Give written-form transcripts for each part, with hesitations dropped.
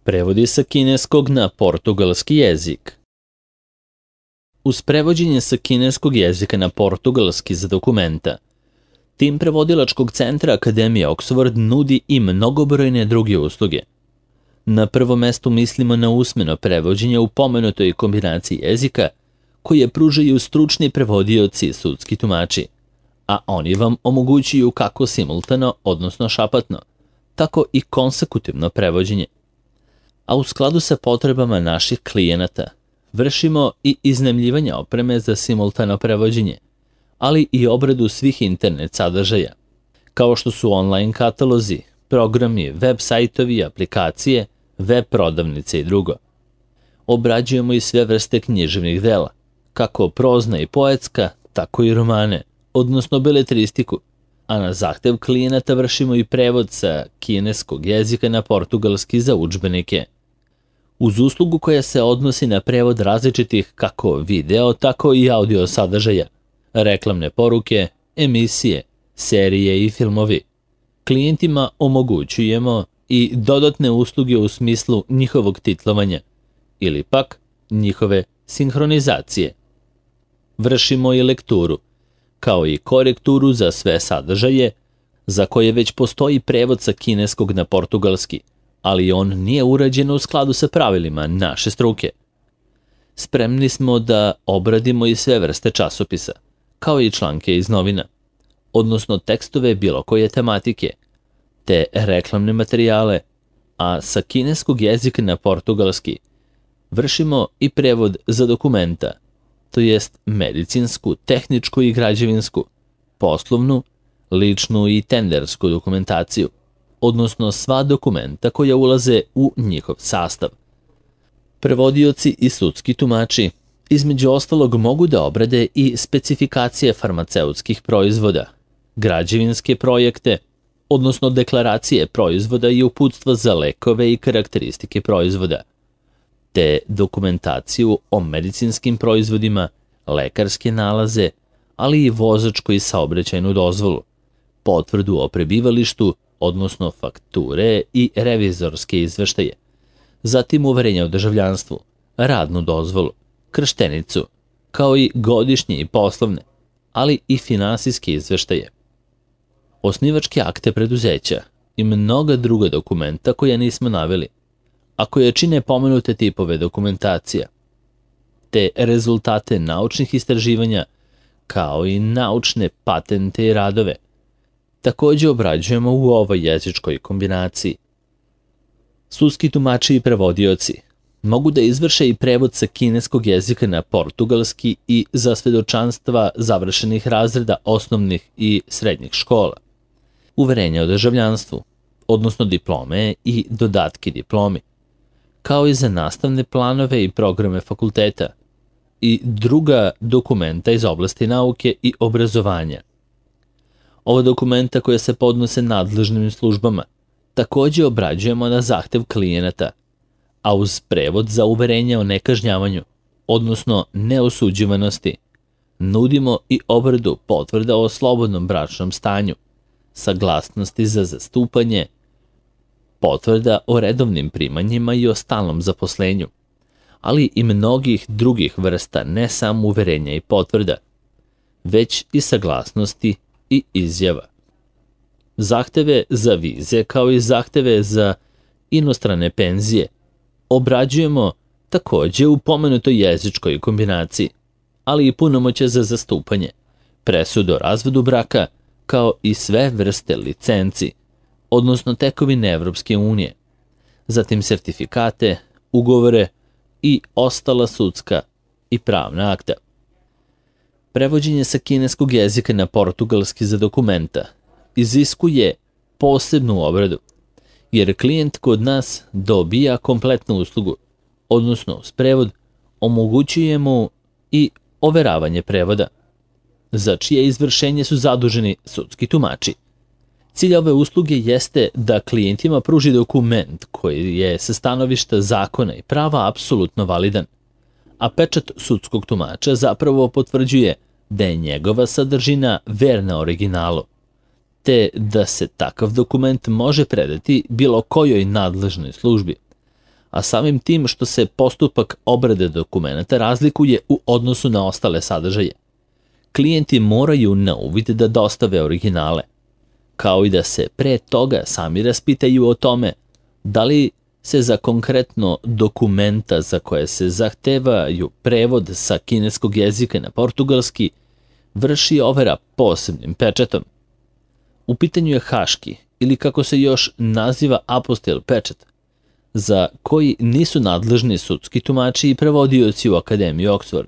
Prevodi sa kineskog na portugalski jezik. Uz prevođenje sa kineskog jezika na portugalski za dokumenta, tim prevodilačkog centra Akademije Oxford nudi i mnogobrojne druge usluge. Na prvom mestu mislimo na usmeno prevođenje u pomenutoj kombinaciji jezika koje pružaju stručni prevodioci i sudski tumači, a oni vam omogućuju kako simultano, odnosno šapatno, tako i konsekutivno prevođenje. A u skladu sa potrebama naših klijenata vršimo i iznajmljivanje opreme za simultano prevođenje, ali i obradu svih internet sadržaja, kao što su online katalozi, programi, web sajtovi, aplikacije, web prodavnice i drugo. Obrađujemo i sve vrste književnih dela, kako prozna i poetska, tako i romane, odnosno beletristiku, a na zahtev klijenata vršimo i prevod sa kineskog jezika na portugalski za udžbenike. Uz uslugu koja se odnosi na prevod različitih kako video, tako i audio sadržaja, reklamne poruke, emisije, serije i filmovi, klijentima omogućujemo i dodatne usluge u smislu njihovog titlovanja ili pak njihove sinhronizacije. Vršimo i lekturu, kao i korekturu za sve sadržaje za koje već postoji prevod sa kineskog na portugalski, ali on nije urađen u skladu sa pravilima naše struke. Spremni smo da obradimo i sve vrste časopisa, kao i članke iz novina, odnosno tekstove bilo koje tematike, te reklamne materijale, a sa kineskog jezika na portugalski vršimo i prevod za dokumenta, to jest medicinsku, tehničku i građevinsku, poslovnu, ličnu i tendersku dokumentaciju, odnosno sva dokumenta koja ulaze u njihov sastav. Prevodioci i sudski tumači između ostalog mogu da obrade i specifikacije farmaceutskih proizvoda, građevinske projekte, odnosno deklaracije proizvoda i uputstva za lekove i karakteristike proizvoda, te dokumentaciju o medicinskim proizvodima, lekarske nalaze, ali i vozačku i saobraćajnu dozvolu, potvrdu o prebivalištu, odnosno fakture i revizorske izveštaje, zatim uverenje o državljanstvu, radnu dozvolu, krštenicu, kao i godišnje i poslovne, ali i finansijske izveštaje, osnivačke akte preduzeća i mnoga druga dokumenta koja nismo naveli, a koje čine pomenute tipove dokumentacija, te rezultate naučnih istraživanja, kao i naučne patente i radove, takođe obrađujemo u ovoj jezičkoj kombinaciji. Sudski tumači i prevodioci mogu da izvrše i prevod sa kineskog jezika na portugalski i za svedočanstva završenih razreda osnovnih i srednjih škola, uverenja o državljanstvu, odnosno diplome i dodatke diplomi, kao i za nastavne planove i programe fakulteta i druga dokumenta iz oblasti nauke i obrazovanja. Ova dokumenta koja se podnose nadležnim službama takođe obrađujemo na zahtev klijenata, a uz prevod za uverenje o nekažnjavanju, odnosno neosuđivanosti, nudimo i obradu potvrda o slobodnom bračnom stanju, saglasnosti za zastupanje, potvrda o redovnim primanjima i o stalnom zaposlenju, ali i mnogih drugih vrsta ne samo uverenja i potvrda, već i saglasnosti i izjava. Zahteve za vize kao i zahteve za inostrane penzije obrađujemo takođe u pomenutoj jezičkoj kombinaciji, ali i punomoćje za zastupanje, presudu o razvodu braka, kao i sve vrste licenci, odnosno tekovine Evropske unije, zatim sertifikate, ugovore i ostala sudska i pravna akta. Prevođenje sa kineskog jezika na portugalski za dokumenta iziskuje posebnu obradu, jer klijent kod nas dobija kompletnu uslugu, odnosno uz prevod omogućuje mu i overavanje prevoda, za čije izvršenje su zaduženi sudski tumači. Cilj ove usluge jeste da klijentima pruži dokument koji je sa stanovišta zakona i prava apsolutno validan, a pečat sudskog tumača zapravo potvrđuje da je njegova sadržina verna originalu, te da se takav dokument može predati bilo kojoj nadležnoj službi, a samim tim što se postupak obrade dokumenata razlikuje u odnosu na ostale sadržaje. Klijenti moraju na uvid da dostave originale, kao i da se pre toga sami raspitaju o tome da li se za konkretno dokumenta za koje se zahtevaju prevod sa kineskog jezika na portugalski vrši overa posebnim pečatom. U pitanju je haški, ili kako se još naziva apostil pečat, za koji nisu nadležni sudski tumači i prevodioci u Akademiji Oxford,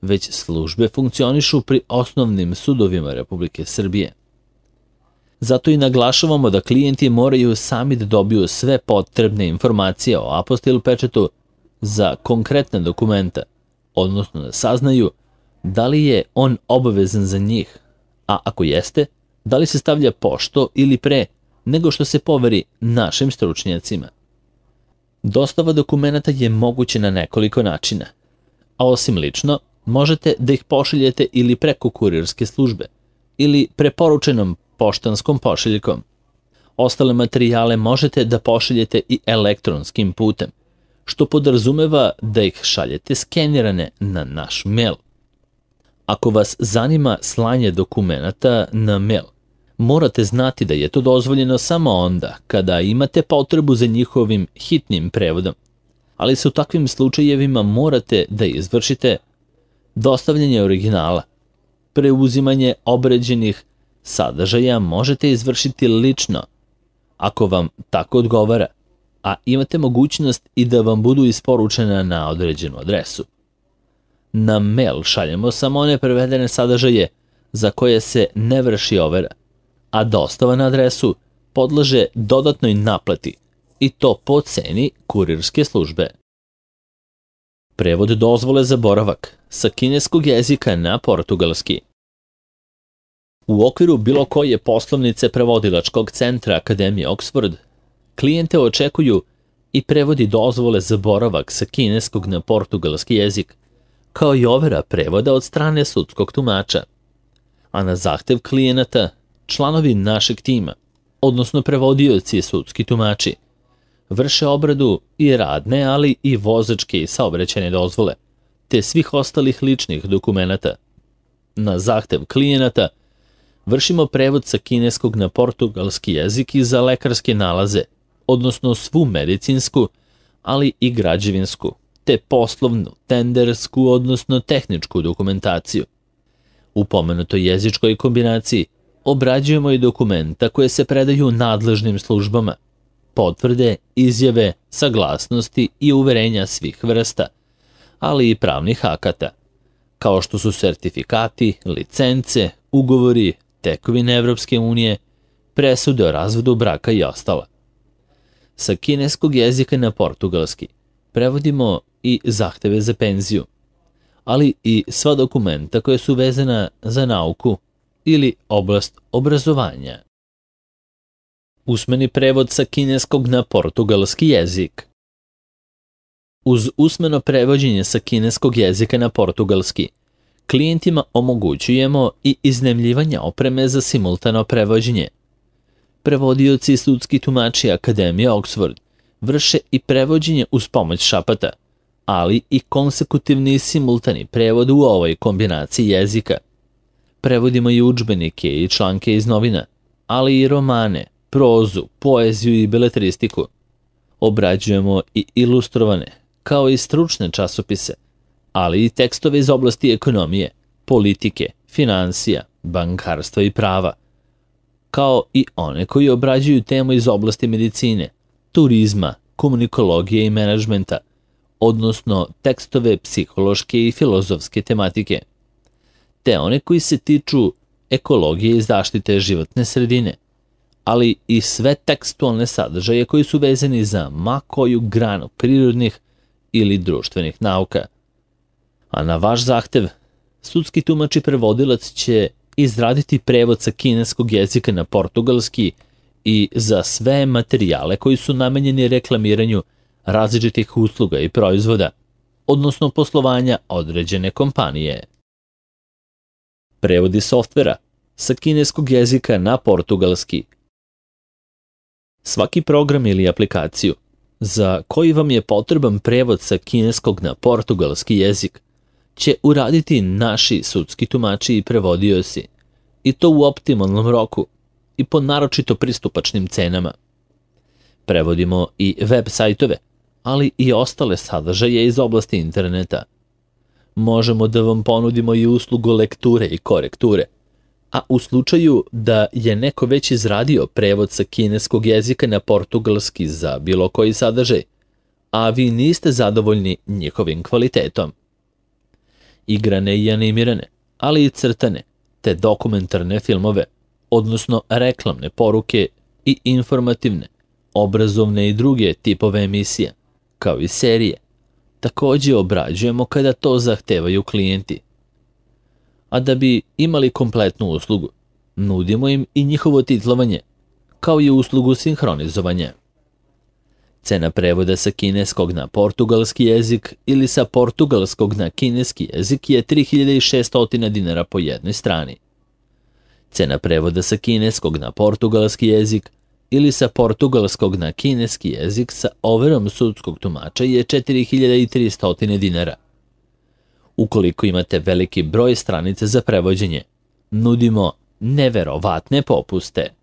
već službe funkcionišu pri osnovnim sudovima Republike Srbije. Zato i naglašavamo da klijenti moraju sami da dobiju sve potrebne informacije o apostil pečatu za konkretne dokumenta, odnosno da saznaju da li je on obavezan za njih, a ako jeste, da li se stavlja pošto ili pre nego što se poveri našim stručnjacima. Dostava dokumenata je moguće na nekoliko načina, a osim lično, možete da ih pošaljete ili preko kurirske službe ili preporučenom poštanskom pošiljkom. Ostale materijale možete da pošaljete i elektronskim putem, što podrazumeva da ih šaljete skenirane na naš mail. Ako vas zanima slanje dokumenata na mail, morate znati da je to dozvoljeno samo onda kada imate potrebu za njihovim hitnim prevodom, ali se u takvim slučajevima morate da izvršite dostavljanje originala. Preuzimanje obrađenih sadržaja možete izvršiti lično, ako vam tako odgovara, a imate mogućnost i da vam budu isporučena na određenu adresu. Na mail šaljemo samo one prevedene sadržaje za koje se ne vrši overa, a dostava na adresu podleže dodatnoj naplati i to po ceni kurirske službe. Prevod dozvole za boravak sa kineskog jezika na portugalski. U okviru bilo koje poslovnice prevodilačkog centra Akademije Oxford, klijente očekuju i prevodi dozvole za boravak sa kineskog na portugalski jezik, kao i overa prevoda od strane sudskog tumača. A na zahtev klijenata, članovi našeg tima, odnosno prevodioci i sudski tumači, vrše obradu i radne, ali i vozačke i saobraćajne dozvole, te svih ostalih ličnih dokumenata. Na zahtev klijenata vršimo prevod sa kineskog na portugalski jezik i za lekarske nalaze, odnosno svu medicinsku, ali i građevinsku, te poslovnu, tendersku, odnosno tehničku dokumentaciju. U pomenutoj jezičkoj kombinaciji obrađujemo i dokumenta koje se predaju nadležnim službama, potvrde, izjave, saglasnosti i uverenja svih vrsta, ali i pravnih akata, kao što su sertifikati, licence, ugovori, tekovine Evropske unije, presude o razvodu braka i ostala. Sa kineskog jezika na portugalski prevodimo i zahteve za penziju, ali i sva dokumenta koja su vezana za nauku ili oblast obrazovanja. Usmeni prevod sa kineskog na portugalski jezik. Uz usmeno prevođenje sa kineskog jezika na portugalski, klijentima omogućujemo i iznajmljivanje opreme za simultano prevođenje. Prevodioci i sudski tumači Akademije Oxford vrše i prevođenje uz pomoć šapata, ali i konsekutivni i simultani prevod u ovoj kombinaciji jezika. Prevodimo i udžbenike i članke iz novina, ali i romane, prozu, poeziju i beletristiku. Obrađujemo i ilustrovane, kao i stručne časopise, ali i tekstove iz oblasti ekonomije, politike, finansija, bankarstva i prava, kao i one koji obrađuju temu iz oblasti medicine, turizma, komunikologije i menadžmenta, odnosno tekstove psihološke i filozofske tematike, te one koji se tiču ekologije i zaštite životne sredine, ali i sve tekstualne sadržaje koji su vezani za ma koju granu prirodnih ili društvenih nauka. A na vaš zahtev, sudski tumač i prevodilac će izraditi prevod sa kineskog jezika na portugalski i za sve materijale koji su namenjeni reklamiranju različitih usluga i proizvoda, odnosno poslovanja određene kompanije. Prevodi softvera sa kineskog jezika na portugalski. Svaki program ili aplikaciju za koji vam je potreban prevod sa kineskog na portugalski jezik, će uraditi naši sudski tumači i prevodioci, i to u optimalnom roku i po naročito pristupačnim cenama. Prevodimo i web sajtove, ali i ostale sadržaje iz oblasti interneta. Možemo da vam ponudimo i uslugu lekture i korekture, a u slučaju da je neko već izradio prevod sa kineskog jezika na portugalski za bilo koji sadržaj, a vi niste zadovoljni njihovim kvalitetom. Igrane i animirane, ali i crtane, te dokumentarne filmove, odnosno reklamne poruke i informativne, obrazovne i druge tipove emisija, kao i serije, takođe obrađujemo kada to zahtevaju klijenti. A da bi imali kompletnu uslugu, nudimo im i njihovo titlovanje, kao i uslugu sinhronizovanja. Cena prevoda sa kineskog na portugalski jezik ili sa portugalskog na kineski jezik je 3600 dinara po jednoj strani. Cena prevoda sa kineskog na portugalski jezik ili sa portugalskog na kineski jezik sa overom sudskog tumača je 4300 dinara. Ukoliko imate veliki broj stranica za prevođenje, nudimo neverovatne popuste.